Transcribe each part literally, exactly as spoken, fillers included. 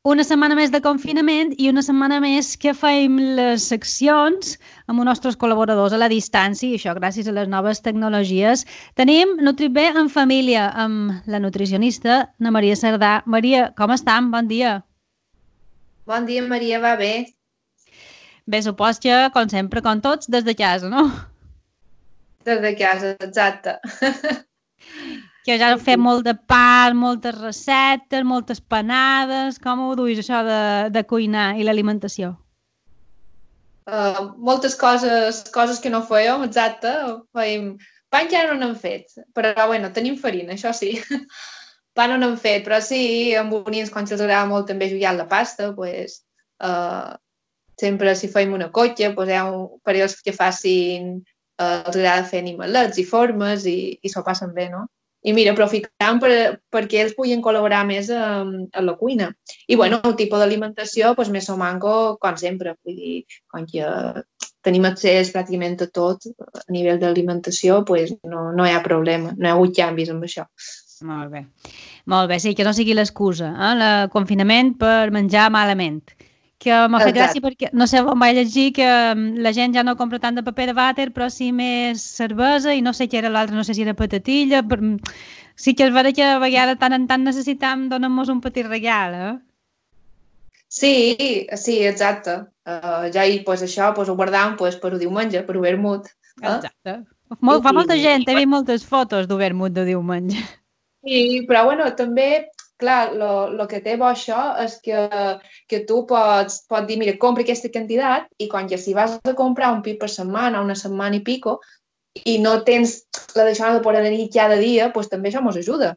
una setmana més de confinament i una setmana més que fem les seccions amb els nostres col·laboradors a la distància, i això gràcies a les noves tecnologies. Tenim Nutrit Bé en família, amb la nutricionista, na Maria Cerdà. Maria, com estem? Bon dia. Bon dia, Maria, va bé? Bé, supos que, com sempre, com tots, des de casa, no? Des de casa, exacte. Que ja sí, fem sí. molt de pa, moltes receptes, moltes panades. Com ho duis, això de, de cuinar i l'alimentació? Uh, moltes coses, coses que no fèiem, exacte. Fèiem... Pa encara no n'hem fet, però bueno, tenim farina, això sí. Pa no n'hem fet, però sí, amb bonins, quan se'ls agrada molt també jugar la pasta, pues, uh, sempre si fèiem una cotxa, pues, hi ha un, per ells que facin, uh, els agrada fer animalets i formes i, i s'ho passen bé, no? I mira, aprofitant per, perquè ells puguin col·laborar més a, a la cuina. I, bueno, el tipus d'alimentació, doncs, més o manco, com sempre. Vull dir, com que tenim accés pràcticament a tot a nivell d'alimentació, doncs no, no hi ha problema, no hi ha hagut canvis amb això. Molt bé. Molt bé, sí, que no sigui l'excusa, eh? El confinament per menjar malament. Que m'ha fet gràcia perquè, no sé on vaig llegir, que la gent ja no compra tant de paper de vàter, però sí més cervesa, i no sé què era l'altre, no sé si era patatilla. Però... Sí que és vera que a vegades tant en tant necessitam donar-nos un petit regal, eh? Sí, sí, exacte. Uh, ja i pues, això pues, ho guardam pues, per un diumenge, per un vermut. Eh? Exacte. Molt, fa molta gent, he vist moltes fotos d'un vermut de diumenge. Sí, però bueno, també, clar, el que té bo això és que, que tu pots, pots dir, mira, compra aquesta quantitat i quan ja si vas a comprar un pit per setmana, una setmana i pico, i no tens la d'això de poder anar cada dia, doncs també això ens ajuda,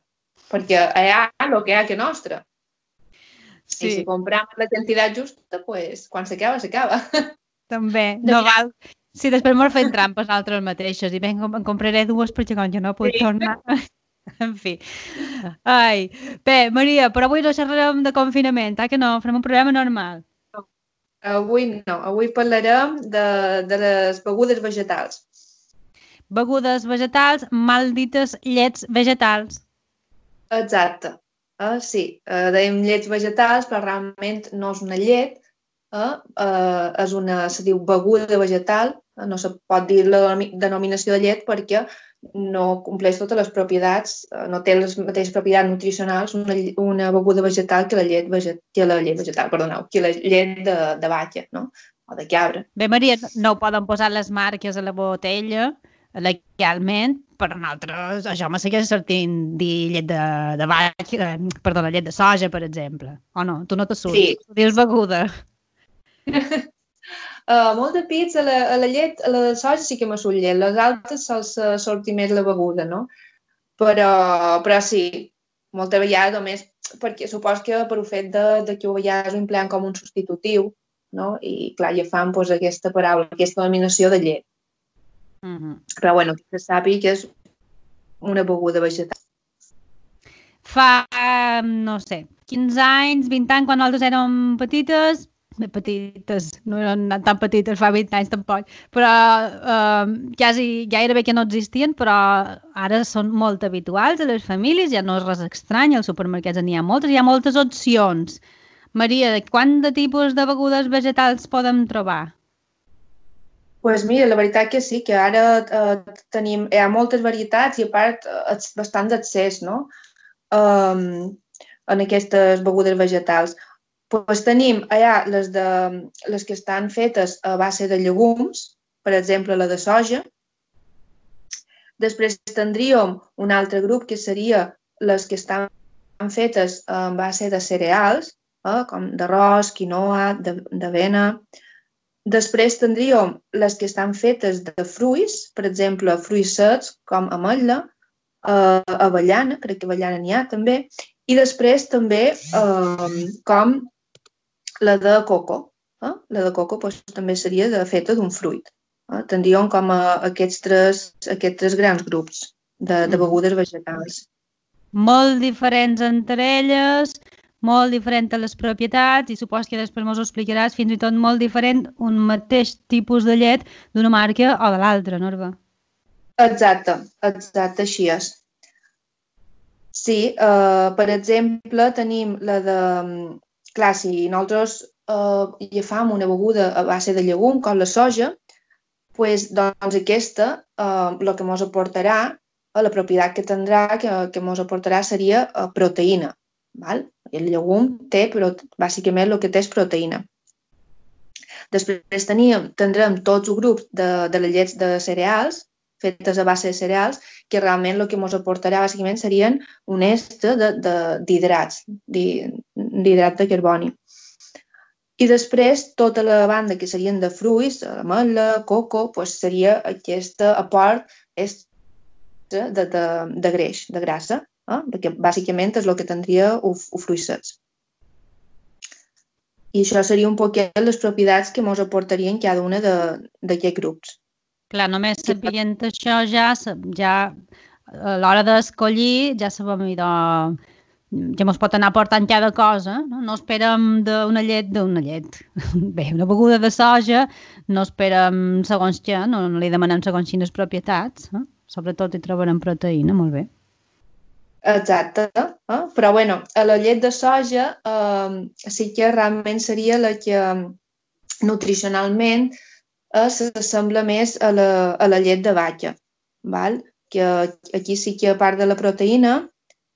perquè allà el que hi ha que nostre. Sí. I si compram la quantitat justa, doncs quan s'acaba, s'acaba. També, no val. Sí, després m'ho fem trampes altres mateixes i ben, en compraré dues perquè com jo no puc sí. tornar... En fi. Ai. Bé, Maria, però avui no xerrarem de confinament, eh, que no? Farem un programa normal. No. Avui no. Avui parlarem de, de les begudes vegetals. Begudes vegetals, mal dites llets vegetals. Exacte. Uh, sí, uh, dèiem llets vegetals, però realment no és una llet, uh, uh, és una, se diu beguda vegetal, uh, no se pot dir la denominació de llet perquè no compleix totes les propietats, uh, no té les mateixes propietats nutricionals una, una beguda vegetal que la llet, veget, que la llet vegetal, perdoneu, que la llet de, de vaca, no? O de cabra. Bé, Maria, no poden posar les marques a la botella legalment, però nosaltres això me segueix sortint dir llet de, de vaca, perdó, llet de soja, per exemple. O no? Tu no te surts, sí. Tu dius beguda. Uh, molt de pits, a la, a la llet, a la de soja sí que me surt llet, les altres se'ls sortir més la beguda, no? Però, però sí, molta vegada només, perquè supos que per el fet de, de que ho veies ho empleant com un substitutiu, no? I clar, ja fan pues, aquesta paraula, aquesta denominació de llet. Uh -huh. Però bueno, que se sàpiga que és una beguda vegetal. Fa, no sé, quinze anys, vint anys, quan nosaltres érem petites, petites, no eren tan petites fa vint anys tampoc, però eh, quasi, gairebé que no existien, però ara són molt habituals a les famílies, ja no és res estrany, als supermercats n'hi ha moltes, hi ha moltes opcions. Maria, quant de tipus de begudes vegetals podem trobar? Doncs pues mira, la veritat que sí, que ara eh, tenim, hi ha moltes varietats i a part eh, bastant d'accés, no? Um, en aquestes begudes vegetals. Pues tenim allà les, de, les que estan fetes a base de llegums, per exemple la de soja. Després tindríem un altre grup que seria les que estan fetes a base de cereals, eh, com d'arròs, quinoa, d'avena. Després tindríem les que estan fetes de fruits, per exemple, fruits secs, com ametlla, eh, avellana, crec que avellana n'hi ha també, i després també eh, com la de coco. Eh? La de coco doncs, també seria de, feta d'un fruit. Eh? Tindríem com a aquests tres, aquests tres grans grups de, de begudes vegetals. Molt diferents entre elles, molt diferent a les propietats, i supos que després mos ho explicaràs, fins i tot molt diferent un mateix tipus de llet d'una marca o de l'altra, Norba. Exacte, exacte, així és. Sí, uh, per exemple, tenim la de, clar, si nosaltres eh, agafam una beguda a base de llegum, com la soja, pues, doncs aquesta eh, el que ens aportarà, eh, la propietat que tindrà, que, que ens aportarà seria eh, proteïna. Val? El llegum té, però bàsicament el que té és proteïna. Després teníem, tindrem tots els grups de, de les llets de cereals, fetes a base de cereals, que realment el que ens aportarà bàsicament serien un estre d'hidrats, d'hidrat de carboni. I després tota la banda que serien de fruits, ametlla, coco, doncs seria aquest aport de, de, de greix, de grassa, eh? Perquè bàsicament és el que tindria els fruits secs. I això seria un poquet les propietats que ens aportarien cada una d'aquests grups. Clar, només sapient això ja, ja a l'hora d'escollir ja sabem idò, ja ens pot anar portant cada cosa, no, no esperem d'una llet d'una llet. Bé, una beguda de soja no esperem segons què, no, no li demanem segons quines propietats, eh? Sobretot hi trobarem proteïna, molt bé. Exacte, eh? Però bueno, a la llet de soja eh, sí que realment seria la que nutricionalment eh, s'assembla més a la, a la llet de vaca, val? Que aquí sí que a part de la proteïna,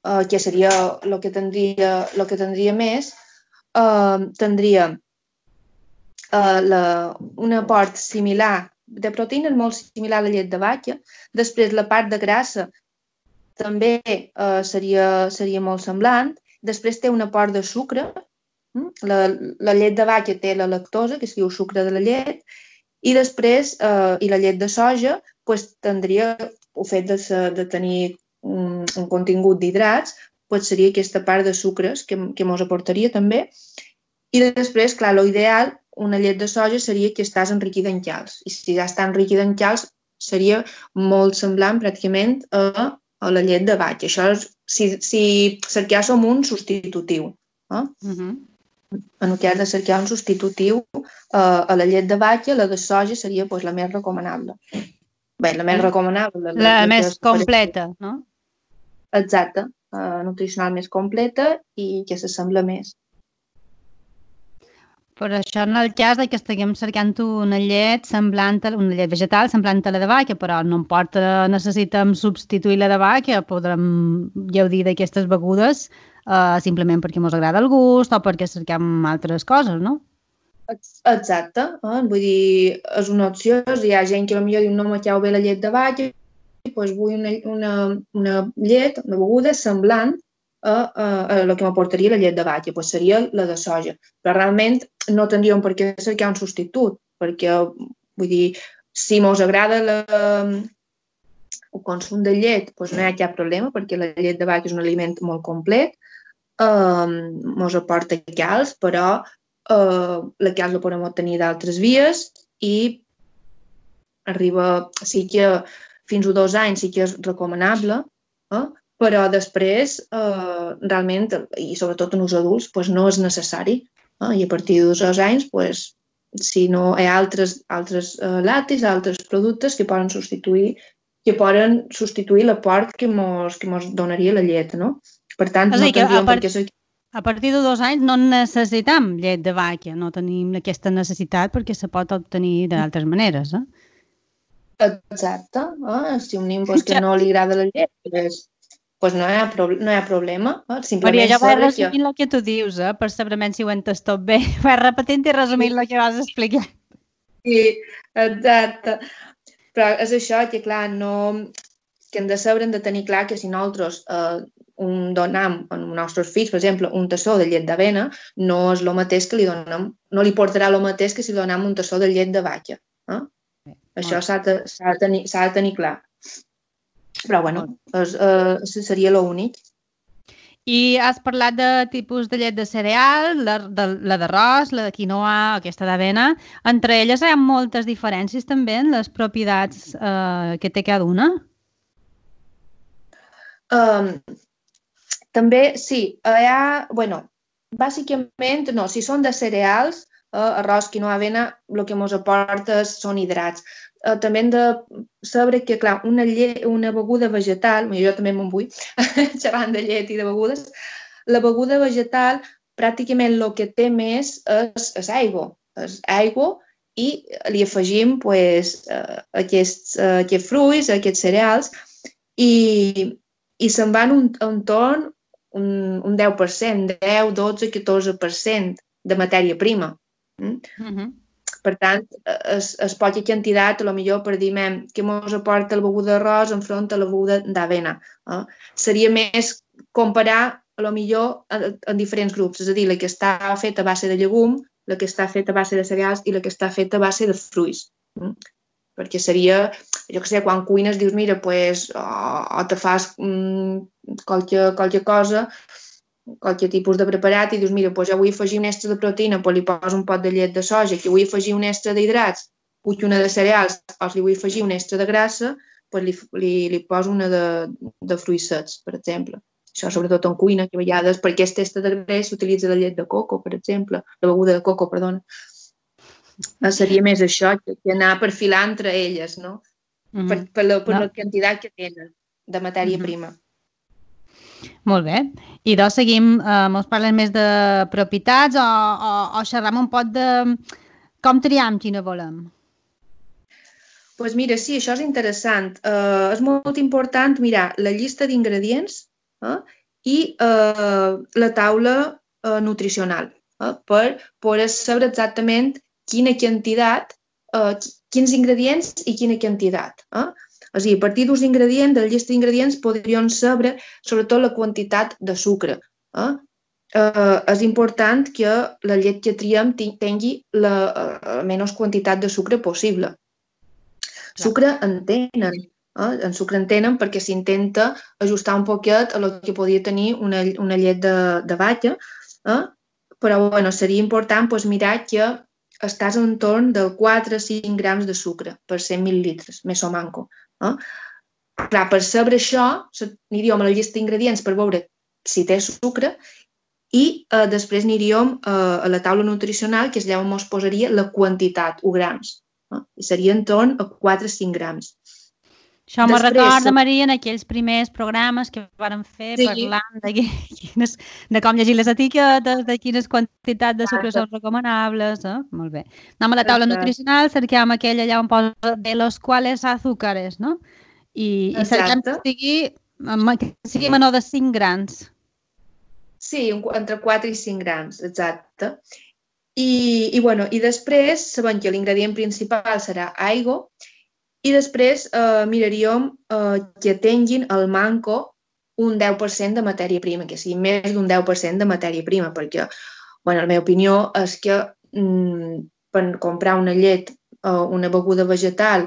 eh, que seria el que tindria, el que tindria més, eh, tindria eh, la, un aport similar de proteïna, molt similar a la llet de vaca. Després la part de grassa també eh, seria, seria molt semblant. Després té un aport de sucre. La, la llet de vaca té la lactosa, que es diu sucre de la llet, i després, eh, i la llet de soja, pues, tindria el fet de, de tenir un, un contingut d'hidrats, pues, seria aquesta part de sucres que, que ens aportaria també. I després, clar, l'ideal, una llet de soja seria que estàs enriquida en calç. I si ja està enriquida en calç, seria molt semblant pràcticament a a la llet de vaca. Això és, si, si cercar som un substitutiu. Eh? Uh-huh. En el cas de cercar un substitutiu eh, a la llet de vaca, la de soja seria pues, la més recomanable. Bé, la més recomanable. La, la, la més completa, no? Exacte. Eh, nutricional més completa i que s'assembla més. Per això en el cas que estiguem cercant una llet semblant, una llet vegetal semblant a la de vaca, però no importa, necessitem substituir la de vaca, podrem gaudir d'aquestes begudes eh, simplement perquè ens agrada el gust o perquè cerquem altres coses, no? Exacte. Eh? Vull dir, és una opció. Hi ha gent que potser diu no me cau bé la llet de vaca, doncs vull una, una, una llet, una beguda semblant a, a, a el que m'aportaria la llet de vaca, doncs seria la de soja. Però realment no tindríem per què cercar un substitut, perquè, vull dir, si ens agrada la, el consum de llet, doncs no hi ha cap problema, perquè la llet de vaca és un aliment molt complet, eh, ens aporta calç, però eh, la calç la podem obtenir d'altres vies i arriba, sí que fins a dos anys sí que és recomanable, eh? Però després, eh, realment, i sobretot en els adults, pues no és necessari. Eh? I a partir de dos anys, pues, si no hi ha altres, altres eh, làctics, altres productes que poden substituir que poden substituir l'aport que ens que mos donaria la llet, no? Per tant, no tindríem per què ser... A partir de dos anys no necessitem llet de vaca, no tenim aquesta necessitat perquè se pot obtenir d'altres maneres, eh? Exacte. Eh? Si un nen pues, que no li agrada la llet, pues, pues no, hi ha pro no hi ha problema. Eh? Simplement Maria, jo vaig resumint que... el que tu dius, eh? Per saber si ho entès tot bé. Vaig repetint i resumint el que vas explicar. Sí, exacte. Però és això, que clar, no... que hem de saber, hem de tenir clar que si nosaltres eh, un donam als nostres fills, per exemple, un tassó de llet d'avena, no és el mateix que li donem, no li portarà el mateix que si donem un tassó de llet de vaca. Eh? Això s'ha de, de, tenir, de tenir clar. Però, bueno, és, eh, seria l'únic. I has parlat de tipus de llet de cereal, la, de, la d'arròs, la de quinoa, aquesta d'avena. Entre elles hi ha moltes diferències també en les propietats eh, que té cada una? Um, també, sí. Hi ha, bueno, bàsicament, no, si són de cereals, eh, arròs, quinoa, avena, el que ens aporta són hidrats. Uh, també hem de saber que, clar, una, llet, una beguda vegetal, jo també me'n vull, xerrant de llet i de begudes, la beguda vegetal pràcticament el que té més és, és aigua. És aigua i li afegim pues, uh, aquests, uh, aquests fruits, aquests cereals, i, i se'n van un, un torn un, un deu per cent, deu, dotze, catorze per cent de matèria prima. Mm? Uh-huh. Per tant, es, es poca quantitat, a lo millor per dir què ens aporta la beguda d'arròs enfront a la beguda d'avena. Eh? Seria més comparar, a lo millor, en, en diferents grups, és a dir, la que està feta a base de llegum, la que està feta a base de cereals i la que està feta a base de fruits. Mm? Perquè seria, jo què sé, quan cuines dius, mira, pues, o, o te fas mm, qualque, qualque cosa, qualque tipus de preparat i dius, mira, pues jo vull afegir un extra de proteïna, pues li poso un pot de llet de soja, que vull afegir un extra d'hidrats, puig una de cereals, o si li vull afegir un extra de grassa, pues li, li, li poso una de, de fruits secs, per exemple. Això sobretot en cuina, que a vegades per aquest extra de greix s'utilitza la llet de coco, per exemple, la beguda de coco, perdona. Seria més això, que anar a perfilar entre elles, no? Uh-huh. Per, per, la, per no. la quantitat que tenen de matèria uh-huh. prima. Molt bé. I doncs seguim, eh, ens parlen més de propietats o, o, o xerram un poc de com triam quina volem? Doncs pues mira, sí, això és interessant. Uh, és molt important mirar la llista d'ingredients eh, i uh, la taula uh, nutricional eh, per poder saber exactament quina quantitat, uh, quins ingredients i quina quantitat. Eh? És a dir, a partir dels ingredients, de la llista d'ingredients, podríem saber sobretot la quantitat de sucre. Eh? Uh, és important que la llet que triem tingui la uh, menys quantitat de sucre possible. Clar. Sucre en tenen, eh? En sucre en tenen perquè s'intenta ajustar un poquet a el que podia tenir una, una llet de, de vaca, eh? Però bueno, seria important pues, mirar que estàs en torn del quatre a cinc grams de sucre per cent mil·lilitres, més o manco. Eh? Clar, per saber això, aniríem a la llista d'ingredients per veure si té sucre i eh, després aniríem eh, a la taula nutricional, que és allà on ens posaria la quantitat, u grams. Eh? I seria en torn a quatre a cinc grams. Això me recorda, Maria, en aquells primers programes que vàrem fer sí. parlant de, quines, de com llegir les etiquetes, de quines quantitats de sucre són recomanables. Eh? Molt bé. Anem a la taula Exacte. nutricional, cerquem aquella allà on posa de los quales azúcares, no? I, i cerquem que sigui, que sigui menor de cinc grams. Sí, entre quatre i cinc grams, exacte. I, i, bueno, i després sabem que l'ingredient principal serà aigua i després eh, miraríem eh, que tinguin al manco un deu per cent de matèria prima, que sigui més d'un deu per cent de matèria prima, perquè, bueno, la meva opinió és que mm, per comprar una llet o una beguda vegetal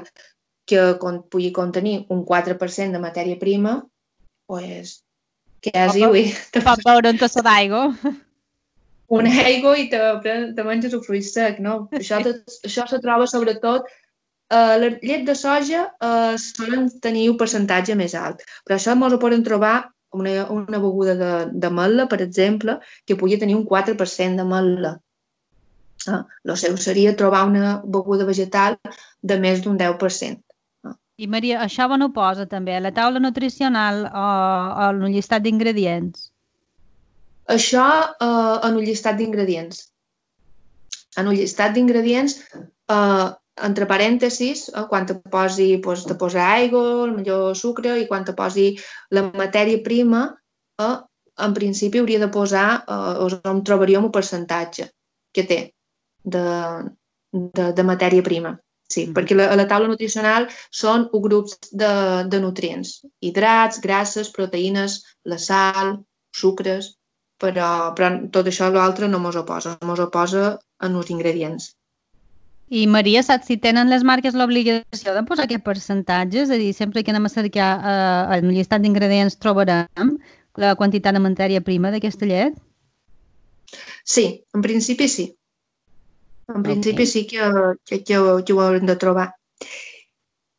que con, pugui contenir un quatre per cent de matèria prima, pues, què has dit? Te pot beure un tassó d'aigua. Una aigua i te, te menges un fruit sec, no? Això, això se troba sobretot Uh, la llet de soja uh, solen tenir un percentatge més alt, però això ens ho poden trobar una, una beguda de, de mel·la, per exemple, que pugui tenir un quatre per cent de mel·la. Uh, el seu seria trobar una beguda vegetal de més d'un deu per cent. Uh. I Maria, això on ho posa també? A la taula nutricional o, o en un llistat d'ingredients? Això uh, en un llistat d'ingredients. En un llistat d'ingredients uh, entre parèntesis, eh, quan te posi, doncs, te posa aigua, el millor sucre, i quan te posi la matèria prima, eh, en principi hauria de posar, eh, on trobaríem un percentatge que té de, de, de matèria prima. Sí, mm-hmm. Perquè la, a la taula nutricional són grups de, de nutrients, hidrats, grasses, proteïnes, la sal, sucres, però, però tot això l'altre no mos ho posa, mos ho posa en els ingredients. I Maria, saps si tenen les marques l'obligació de posar aquest percentatge? És a dir, sempre que anem a cercar eh, en un llistat d'ingredients trobarem la quantitat de matèria prima d'aquesta llet? Sí, en principi sí. En principi okay. sí que, que, que, ho, que ho haurem de trobar.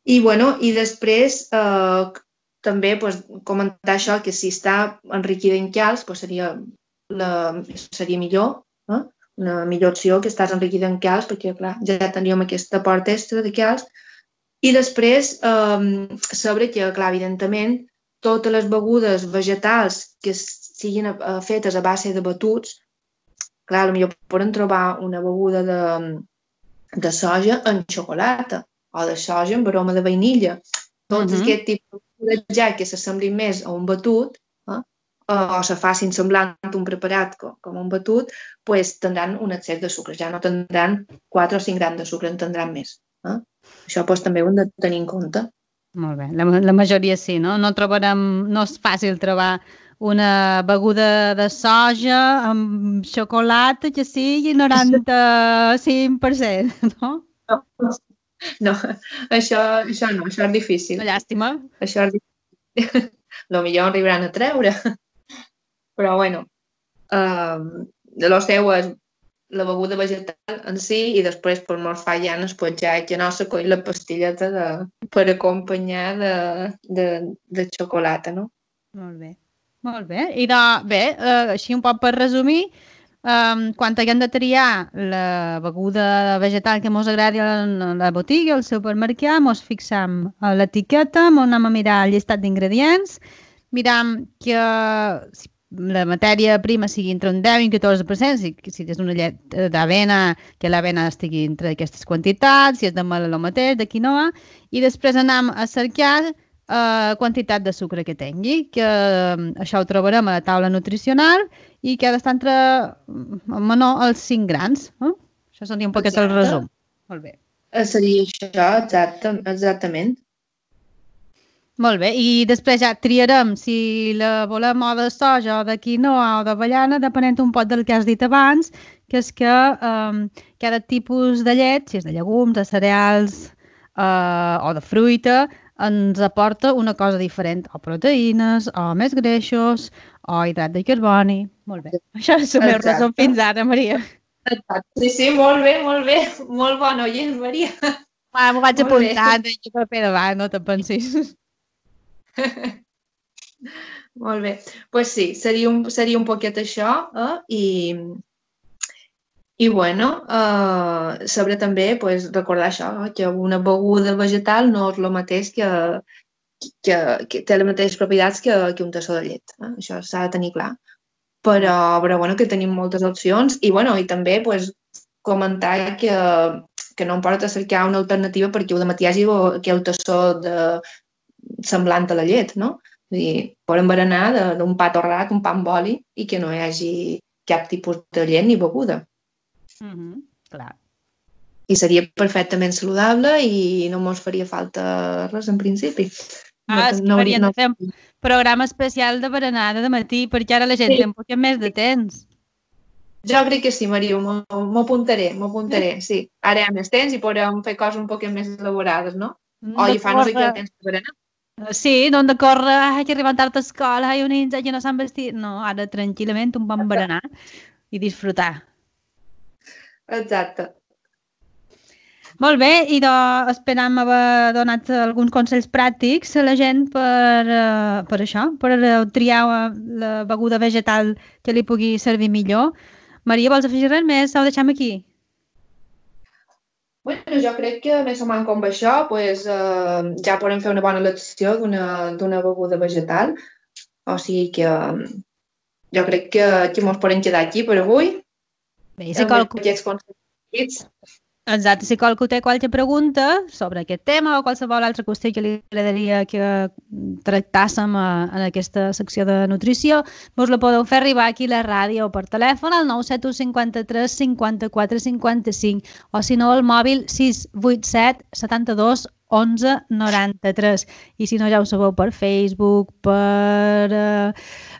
I, bueno, i després eh, també pues, comentar això, que si està enriquida en calç pues, seria, la, seria millor, eh? Una millor opció que estàs enriquida en calç, perquè clar, ja teníem aquest aport extra de calç. I després eh, saber que, clar, evidentment, totes les begudes vegetals que siguin fetes a base de batuts clar, potser poden trobar una beguda de, de soja en xocolata o de soja amb aroma de vainilla. Tots uh -huh. aquest tipus de ja que s'assemblin més a un batut, eh, o se facin semblant un preparat com, com un batut, pues, tindran un excés de sucre. Ja no tindran quatre o cinc grams de sucre, en tindran més. Eh? Això pues, també ho hem de tenir en compte. Molt bé, la, la majoria sí, no? No trobarem, no és fàcil trobar una beguda de soja amb xocolata que sigui noranta-cinc per cent, no? No, no això, això no, això és difícil. Una llàstima. Això és difícil. Lo millor arribaran a treure. Però, bueno, uh, lo seu és la beguda vegetal en si i després, per molts fallanes, pues, ja que no se coi la pastilleta de, per acompanyar de, de, de xocolata, no? Molt bé. Molt bé. I de, bé, uh, així un poc per resumir, um, quan haguem de triar la beguda vegetal que ens agradi a la, la botiga, al supermercat, ens fixam a l'etiqueta, ens anem a mirar el llistat d'ingredients, miram que si la matèria prima sigui entre un deu i un catorze per cent, si, si és una llet d'avena, que l'avena estigui entre aquestes quantitats, si és de mel, el mateix, de quinoa, i després anem a cercar Uh, quantitat de sucre que tingui, que uh, això ho trobarem a la taula nutricional i que ha d'estar entre menor als cinc grams. Eh? Això seria un poquet el resum. Molt bé. Seria això, exacte, exactament. Molt bé, i després ja triarem si la volem o de soja o de quinoa o d'avellana, depenent un poc del que has dit abans, que és que um, cada tipus de llet, si és de llegums, de cereals uh, o de fruita, ens aporta una cosa diferent, o proteïnes, o més greixos, o hidrat de carboni. Molt bé. Això és el meu resum fins ara, Maria. Exacte. Sí, sí, molt bé, molt bé. Molt bon oient, Maria. Ah, m'ho vaig apuntar, de paper davant, no te'n pensis. Molt bé. Doncs pues sí, seria un, seria un poquet això, eh? I... I, bueno, eh, sabré també pues, recordar això, que una beguda vegetal no és el mateix que, que, que té les mateixes propietats que, que un tassó de llet. Eh? Això s'ha de tenir clar. Però, però bueno, que tenim moltes opcions i, bueno, i també pues, comentar que, que no importa cercar una alternativa perquè de matí hi hagi que el tassó de, semblant a la llet, no? Vull dir, podem berenar d'un pa torrat, un pa amb oli i que no hi hagi cap tipus de llet ni beguda. Mm -hmm, clar. I seria perfectament saludable i no mos faria falta res en principi. Ah, no, és que hauríem no... de fer un programa especial de berenada de matí, perquè ara la gent sí. té un poc més de temps. Jo crec que sí, Maria, m'ho apuntaré, m'ho apuntaré, sí. Ara hi ha més temps i podrem fer coses un poc més elaborades, no? O hi fa no sé què el temps de berenar. Sí, no hem de córrer, ai, que arriben tard a escola, ai, uns nens que no s'han vestit. No, ara tranquil·lament un bon berenar i disfrutar. Exacte. Molt bé, i doncs esperam haver donat alguns consells pràctics a la gent per, uh, per això, per triar la beguda vegetal que li pugui servir millor. Maria, vols afegir res més? Ho deixem aquí? Bueno, jo crec que més o menys com això pues, uh, ja podem fer una bona elecció d'una beguda vegetal. O sigui que um, jo crec que, que ens podem quedar aquí per avui. Bé, si qualcú... Exacte, si qualcú té qualque pregunta sobre aquest tema o qualsevol altra qüestió que li agradaria que tractàssim en aquesta secció de nutrició, us la podeu fer arribar aquí a la ràdio o per telèfon al nou set u cinquanta-tres cinquanta-quatre cinquanta-cinc o si no al mòbil sis vuit set setanta-dos onze noranta-tres. I si no ja ho sabeu per Facebook, per eh,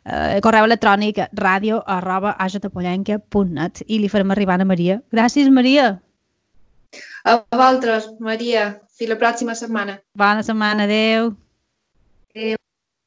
eh, correu electrònic ràdio arroba a j pollenca punt net i li farem arribar a Maria. Gràcies, Maria. A vosaltres, Maria. Fins la pròxima setmana. Bona setmana. Adéu.